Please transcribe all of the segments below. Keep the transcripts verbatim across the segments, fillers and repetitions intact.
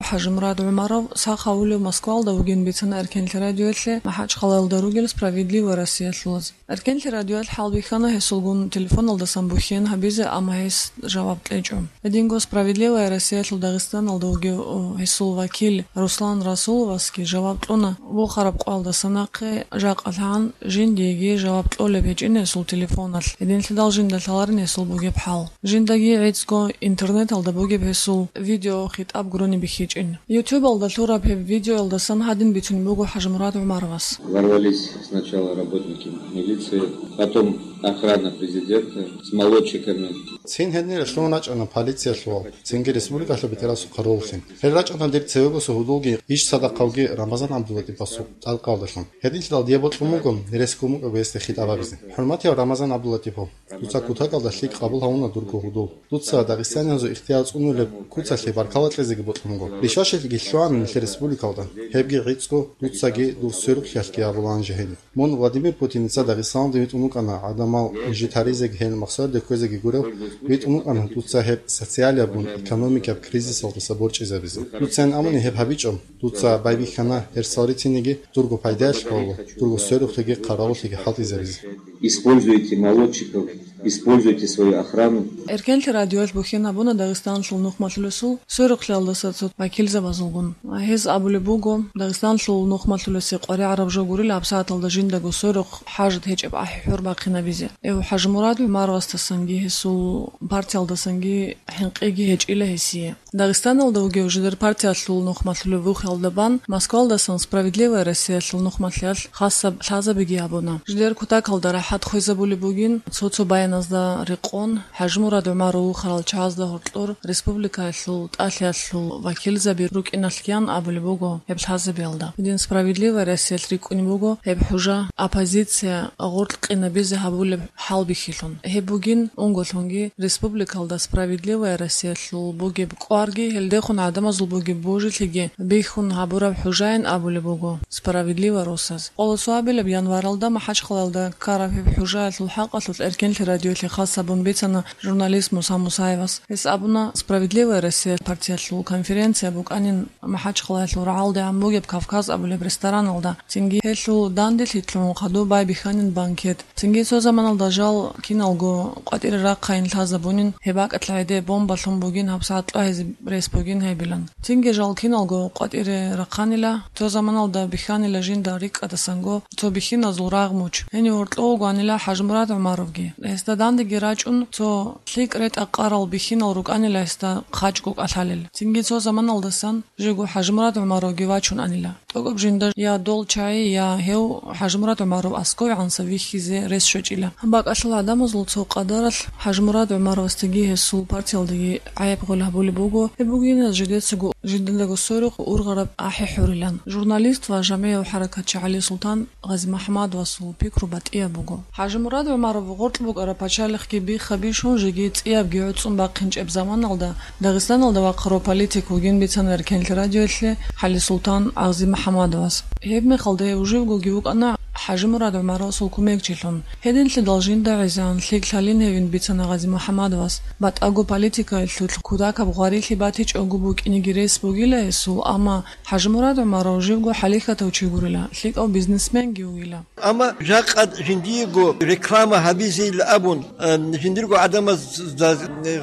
ХӀажимурад ГӀумаров сах гьавулев Москвалда вугин бицана Эркенлъи радиоялъе МахӀачхъалаялда ругел «Справедливая Россия»лъулаз. Эркенлъи радиоялъ хӀалбихьана гьесулгун телефоналдасан бухьен гьабизе, амма гьес жаваб кьечӀо. Гьединго «Справедливая Россия»лъул Дагъистаналда вугев гьесул вакил Руслан Расуловасги жаваб кьуна, вухараб къоялдаса нахъе жакъа лъан жиндиеги жаваб кьолеб гьечӀин гьесул телефоналъ, гьединлъидал жинда лъаларин гьесул бугеб хӀал. Жиндаги гӀицӀго интернеталда бугеб гьесул видеохитӀаб гурони бихьичӀин. Ютубалда лъураб гьеб видеоялдасан гьадин бицунеб буго ХӀажимурад ГӀумаровас. Ворвались сначала работники милиции, потом охрана президента с молотчиками. Цин гьенир лъун рачӀана полициялъул, цинги республикалъул бетӀерасухъа роллъин. Гьел рачӀана дир цевегосул гьудулги иш цадахъавги Рамазан ГӀабдуллатӀиповасул тӀалкъаялдалъун. Гьединлъидал дие бокьун буго рес ккун букӀаго гьесде хитӀаб гьабизе. ХӀурматияв Рамазан ГӀабдуллатӀипов, дуца кутакалда лъикӀ къабул гьавуна дурго гьудул. Дуца дагъистаниязул ихтияр цӀунулеб куцалъе баркала кьезеги бокьун буго. Бищвачилги лъугьана нилъер республикалда. Гьебги гӀицӀго дуцаги дур сверухълъиялъги абулаан жагьилин. Мун Владимир Путиница Дагъистаналде витӀун вукӀана гӀадамал жит гьаризеги гьел махсарде кквезеги гурев, витӀун вукӀана дуца гьеб социалияб бун экономикияб кризисалдаса борчӀизабизе. Дуцайин абуни гьеб гьабичӀо, дуца байбихьана гьерсал рицинеги дурго пайдаялъ гьаву, дурго сверухълъиги хъаравуллъиги хӀалтӀизабизе. Используйте молотчиков, используйте свою охрану. Эркенлъи радиоялъ бухьен гьабуна Дагъистаналъул нухмалъулесул сверухълъиялдаса цо вакилзабазулгун. Гьез абулеб буго, Дагъистаналъул нухмалъулесе къваригӀараб жо гурила гьабсагӀаталда жиндаго сверухъ хӀажат гьечӀеб ахӀи-хӀур бахъинабизе. Эв ХӀажимурад ГӀумаровасдасанги гьесул партиялдасанги хӀинкъиги гьечӀила гьесие. Дагъистаналда вугев жидер партиялъул нухмалъулев вухиялда бан Москвалдасан «Справедливая Россия»лъул нухмалъиялъ хасаб лъазабиги гьабуна. Жидер кутакалда рахӀат хвезабулеб бугин, цо-цо баяназда рекъон, ХӀажимурад ГӀумаров вухарал чагӀазда гьоркьор республикаялъул тӀалъиялъул вакилзаби рукӀиналъ киян абулеб буго гьеб лъазабиялда. Гьедин «Справедливая Россия»лъ рикӀкӀунеб буго гьеб хӀужа оппозиция гъоркь къинабизе гьабулеб хӀалбихьилъун. Гьеб бугин унголъунги республикалда «Справедливая Россия»лъул бугеб кӀварги, гьелдехун гӀадамазул бугеб божилъиги бихьун гьабураб хӀужаин абулеб буго «Справедливая Россия»с. Къолосуабилаб январалда МахӀачхъалаялда ккараб гьеб хӀужаялъул хӀакъалъулъ Эркенлъи радиоялъе хас гьабун бицана журналист Муса Мусаевас. Гьес абуна, «Справедливая Россия» партиялъул конференция букӀанин МахӀачхъалаялъул рагӀалдегӀан бугеб «Кавказ» абулеб рестораналда, цинги гьелъул данделъи лъугӀун хадуб байбихьанин банкет. Цинги цо заманалда жал киналго къватӀире рахъайин лъазабунин, гьеб бакӀалъ гӀеде бомба лъун бугин, гьабсагӀат кьвагьизе рес бугин гьебилан. Цинги жал киналго къватӀире рахъанила, цо заманалда бихьанила жинда рикӀкӀадасанго цо бихьиназул рагъ муч. Гьенив гьоркьов вугоанила ХӀажимурад ГӀумаровги. Гьесда дандеги рачӀун, цо лъикӀ ретӀа-къарал бихьинал рукӀанила гьесда хъачӀго кӀалъалел. Цинги цо заманалдасан жего ХӀажимурад ГӀумаровги вачун анила. ТӀокӀаб жинда я дол чагӀи, я гьев ХӀажимурад ГӀумаров аскӀовегӀанса вихьизе рес щвечӀила. Гьаб бакӀалъул гӀадамазул цо къадаралъ ХӀажимурад ГӀумаровасдаги гьесул партиялдаги гӀайиб гъол гьабулеб буго, гьеб бугин жидецаго жиндаго сверухъ ургъараб ахӀи-хӀурилан. Журналист ва жамигӀав хӀаракатчи ГӀалисултан ГъазимухӀаммадовасул пикру батӀияб буго. ХӀажимурад ГӀумаров гъоркь букӀараб пачалихъги биха-бищун жеги цӀиябги гӀуцӀун бахъинчӀеб заманалда Дагъистаналда вахъарав политик вугин бицана Эркенлъи радиоялъе ГӀалисултан ГӀазимухӀаммадовас. Гьеб мехалда гьев живгоги вукӀана ХӀажимурад ГӀумаровасул кумекчилъун. Гьединлъидал жинда гӀезегӀан лъикӀ лъалин гьевин бицана ГъазимухӀаммадовас. БатӀаго политикаялъулъ кутакаб гъварилъи батичӀого букӀинеги рес бугила гьесул, амма ХӀажимурад ГӀумаров живго хӀалихьатав чи гурила, лъикӀав бизнесменги вугила. Амма жакъа жиндиего реклама гьабизейилан абун, э, жиндирго гӀадамазда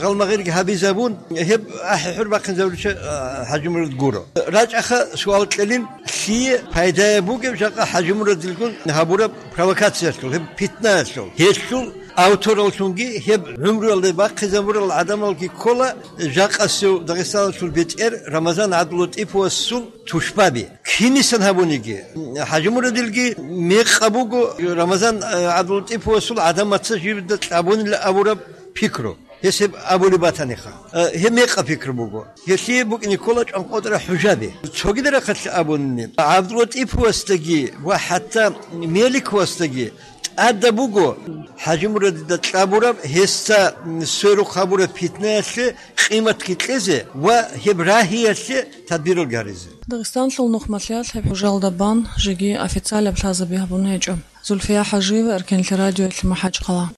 гъалмагъирги гьабизабун, гьеб ахӀи-хӀур бахъинзабулича, э, ХӀажимурад гуро. РачӀаха суал кьелин, лъие пайдаяб бугеб жакъа ХӀажимурадилгун гьабураб провокациялъул, гьеб питнаялъул? Гьелъул автораллъунги гьеб гӀумруялда бахъизабурал гӀадамалги ккола жакъасев Дагъистаналъул бетӀер Рамазан ГӀабдуллатӀиповасул тушбаби. Кинисан гьабуниги, ХӀажимурадилги мекъаб буго Рамазан, э, ГӀабдуллатӀиповасул гӀадамаца живда кьабунила абураб пикру. Гьес гьеб абулеб батаниха. Э, гьеб мекъаб пикру буго. Гьелъие букӀине ккола чӀванкъотӀараб хӀужаби. Цогидал рахъалъ абуни, ГӀабдуллатӀиповасдаги ва хӀатта Меликовасдаги тӀадаб буго ХӀажимурадида кьабураб, гьесда сверухъ гьабураб питнаялъе къиматги кьезе ва гьеб рагьиялъе тадбиралги гьаризе. Дагъистанлъул нухмалъиялъ гьеб хӀужалда бан жеги официалаб лъазаби гьабун гьечӀо. Зульфия ХӀажиева, Эркенлъи радиоялъе, МахӀачхъала.